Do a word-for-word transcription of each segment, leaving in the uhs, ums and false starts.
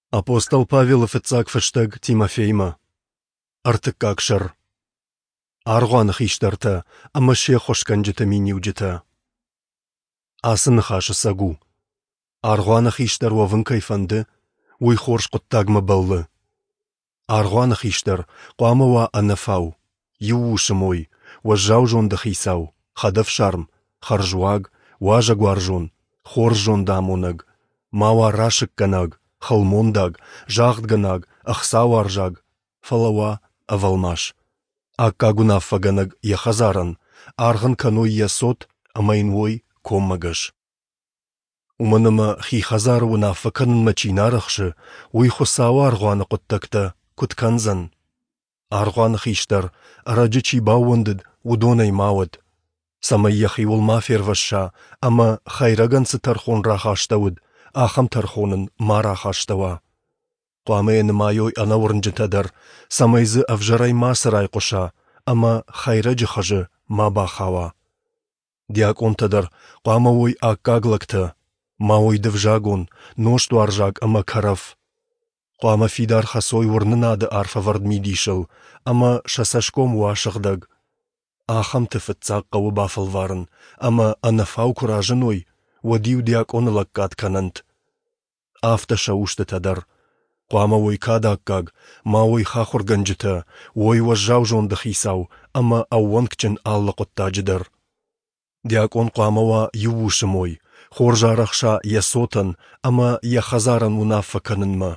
Апостол Павелы фыццаг фыстӕг Тимофеймӕ. Ӕртыккаг сӕр. Аргъуаны хистӕртӕ ӕмӕ се ххуысгӕнджыты миниуджытӕ. Ацы ныхас ӕцӕг у. Аргъуаны хистӕр уӕвын кӕй фӕнды, уый хорз хъуыддагмӕ бӕллы. Аргъуаны хистӕр хъуамӕ уа ӕнӕфау, иу усы мой, уӕззау зонды хицау, хӕдӕфсарм, хӕрзуаг, уазӕгуарзон, хорз зондамонӕг, ма уа расыггӕнаг, хылмондаг, загъдгӕнаг, ӕхцауарзаг, фӕлӕ уа ӕвӕлмас, аккаг уынаффӕгӕнӕг йӕ хӕдзарӕн, аргъ ын кӕной йӕ цот ӕмӕ йын уой коммӕгӕс. Уымӕн ӕмӕ хи хӕдзары уынаффӕ кӕнынмӕ чи нӕ арӕхсы, уый Хуыцауы аргъуаны хъуыддӕгтӕ куыд кӕндзӕн? Аргъуаны хистӕр, ӕрӕджы чи баууӕндыд, уыдонӕй ма уӕд, цӕмӕй йӕхиуыл ма фервӕсса ӕмӕ, хӕйрӕгӕн цы тӕрхон рахастӕуыд, ахӕм тӕрхон ын ма рахастӕуа. Хъуамӕ йӕ нымайой ӕнӕуырнджытӕ дӕр, цӕмӕй дзы ӕвзӕрӕй мацы райхъуыса ӕмӕ хӕйрӕджы хызы ма бахауа. Диакъонтӕ дӕр хъуамӕ уой аккаг лӕгтӕ, ма уой дывзагон, нозтуарзаг ӕмӕ кӕрӕф. Хъуамӕ фидар хӕцой уырнынады арфӕвӕрд мидисыл ӕмӕ сӕ цӕсгом уа сыгъдӕг. Ахӕмты фыццаг хъӕуы бафӕлварын, ӕмӕ ӕнӕфау куы разыной, уӕд-иу диакъоны лӕггад кӕнӕнт. Афтӕ сӕ устытӕ дӕр. Хъуамӕ уой кады аккаг, ма уой хахуыргӕнджытӕ, уой уӕззау зонды хицау ӕмӕ ӕууӕнкджын алы хъуыддаджы дӕр. Диакъон хъуамӕ уа иу усы мой, хорз арӕхса йӕ цотӕн ӕмӕ йӕ хӕдзарӕн уынаффӕ кӕнынмӕ.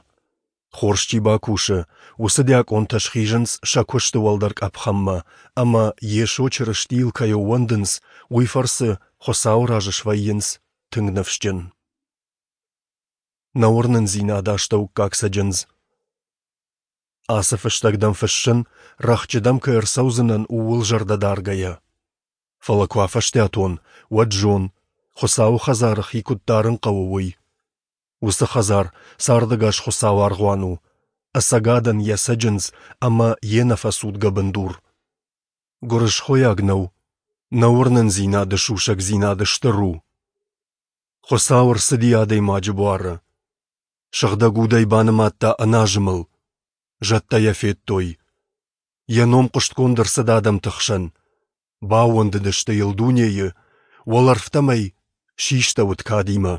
Хорз чи бакусы, уыцы диакъонтӕ схизынц сӕ куысты уӕлдӕр къӕпхӕнмӕ ӕмӕ, Йесо Чырыстийыл кӕй ӕууӕндынц, уый фӕрцы Хуыцауы раз свӕййынц тынг ныфсджын. Нӕ уырнындзинады астӕуккаг цӕджындз. Ацы фыстӕг дӕм фыссын, рӕхджы дӕм кӕй ӕрцӕудзынӕн, ууыл зӕрдӕ даргӕйӕ. Фӕлӕ куы афӕстиат уон, уӕд зон, Хуыцауы хӕдзары хи куыд дарын хъӕуы, уый. Уыцы хӕдзар цардӕгас Хуыцауы аргъуан у, ӕцӕгадӕн йӕ цӕджындз ӕмӕ йе нӕфӕцудгӕ бындур. Гуырысхойаг нӕу, нӕ уырнындзинады сусӕгдзинад стыр у. Хуыцау ӕрцыди адӕймаджы буары. Сыгъдӕг Удӕй банымадта ӕназымыл. Зӕдтӕ йӕ федтой. Йӕ ном хъуыстгонд ӕрцыд адӕмты хсӕн. Баууӕндыдысты йыл дунейы, уӕлӕрвтӕм ӕй систӕуыд кадимӕ.